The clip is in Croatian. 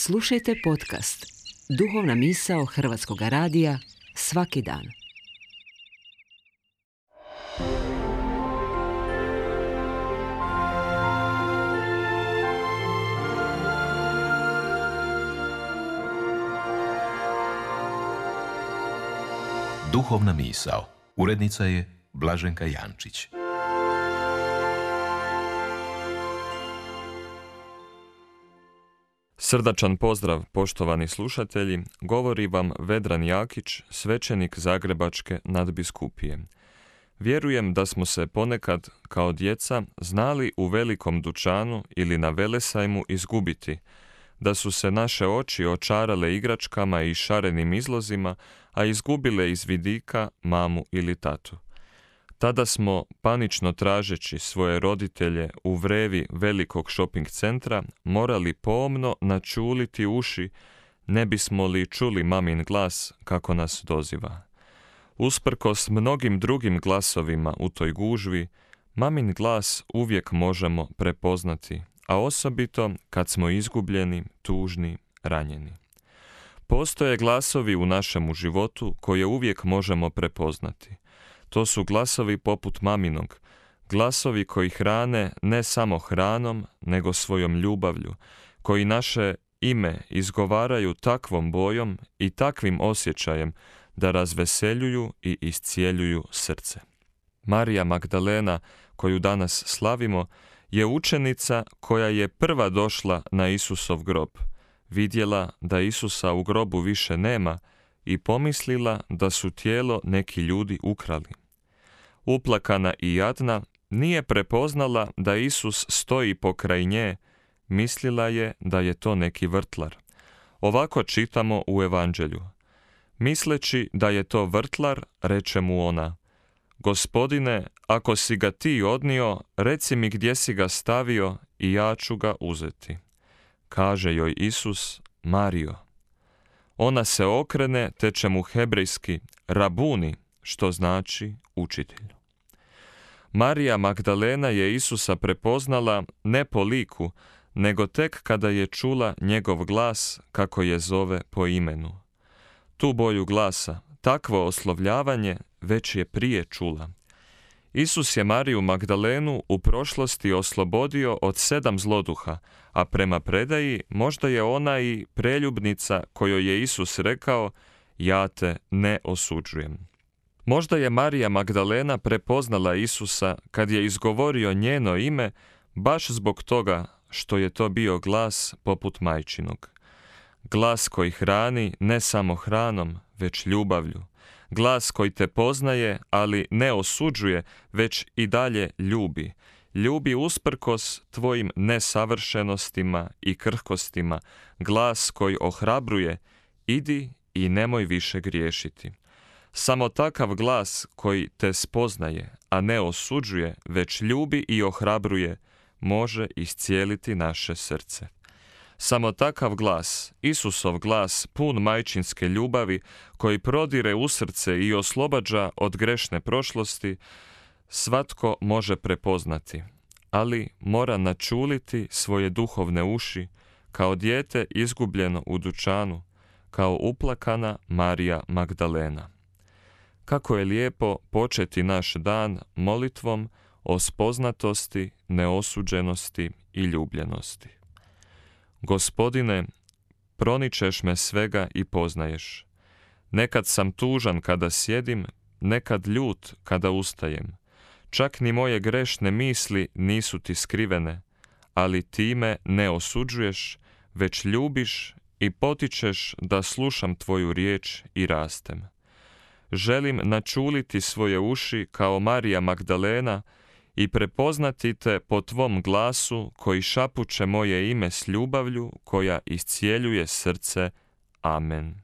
Slušajte podcast Duhovna misao Hrvatskog radija svaki dan. Duhovna misao. Urednica je Blaženka Jančić. Srdačan pozdrav, poštovani slušatelji, govori vam Vedran Jakić, svećenik Zagrebačke nadbiskupije. Vjerujem da smo se ponekad, kao djeca, znali u velikom dućanu ili na velesajmu izgubiti, da su se naše oči očarale igračkama i šarenim izlozima, a izgubile iz vidika mamu ili tatu. Tada smo, panično tražeći svoje roditelje u vrevi velikog shopping centra, morali pomno načuliti uši, ne bismo li čuli mamin glas kako nas doziva. Usprkos mnogim drugim glasovima u toj gužvi, mamin glas uvijek možemo prepoznati, a osobito kad smo izgubljeni, tužni, ranjeni. Postoje glasovi u našemu životu koje uvijek možemo prepoznati. To su glasovi poput maminog, glasovi koji hrane ne samo hranom, nego svojom ljubavlju, koji naše ime izgovaraju takvom bojom i takvim osjećajem da razveseljuju i iscijeljuju srce. Marija Magdalena, koju danas slavimo, je učenica koja je prva došla na Isusov grob, vidjela da Isusa u grobu više nema i pomislila da su tijelo neki ljudi ukrali. Uplakana i jadna, nije prepoznala da Isus stoji pokraj nje, mislila je da je to neki vrtlar. Ovako čitamo u Evanđelju. Misleći da je to vrtlar, reče mu ona: Gospodine, ako si ga ti odnio, reci mi gdje si ga stavio i ja ću ga uzeti. Kaže joj Isus: Marijo. Ona se okrene, teče mu hebrejski Rabuni, što znači učitelj. Marija Magdalena je Isusa prepoznala ne po liku, nego tek kada je čula njegov glas kako je zove po imenu. Tu boju glasa, takvo oslovljavanje već je prije čula. Isus je Mariju Magdalenu u prošlosti oslobodio od 7 zloduha, a prema predaji možda je ona i preljubnica kojoj je Isus rekao: Ja te ne osuđujem. Možda je Marija Magdalena prepoznala Isusa kad je izgovorio njeno ime baš zbog toga što je to bio glas poput majčinog. Glas koji hrani ne samo hranom, već ljubavlju. Glas koji te poznaje, ali ne osuđuje, već i dalje ljubi. Ljubi usprkos tvojim nesavršenostima i krhkostima. Glas koji ohrabruje: idi i nemoj više griješiti. Samo takav glas koji te spoznaje, a ne osuđuje, već ljubi i ohrabruje, može iscijeliti naše srce. Samo takav glas, Isusov glas pun majčinske ljubavi, koji prodire u srce i oslobađa od grešne prošlosti, svatko može prepoznati, ali mora načuliti svoje duhovne uši, kao dijete izgubljeno u dućanu, kao uplakana Marija Magdalena. Kako je lijepo početi naš dan molitvom o spoznatosti, neosuđenosti i ljubljenosti. Gospodine, proničeš me svega i poznaješ. Nekad sam tužan kada sjedim, nekad ljut kada ustajem. Čak ni moje grešne misli nisu ti skrivene, ali ti me ne osuđuješ, već ljubiš i potičeš da slušam tvoju riječ i rastem. Želim načuliti svoje uši kao Marija Magdalena i prepoznati te po tvom glasu koji šapuće moje ime s ljubavlju koja iscijeljuje srce. Amen.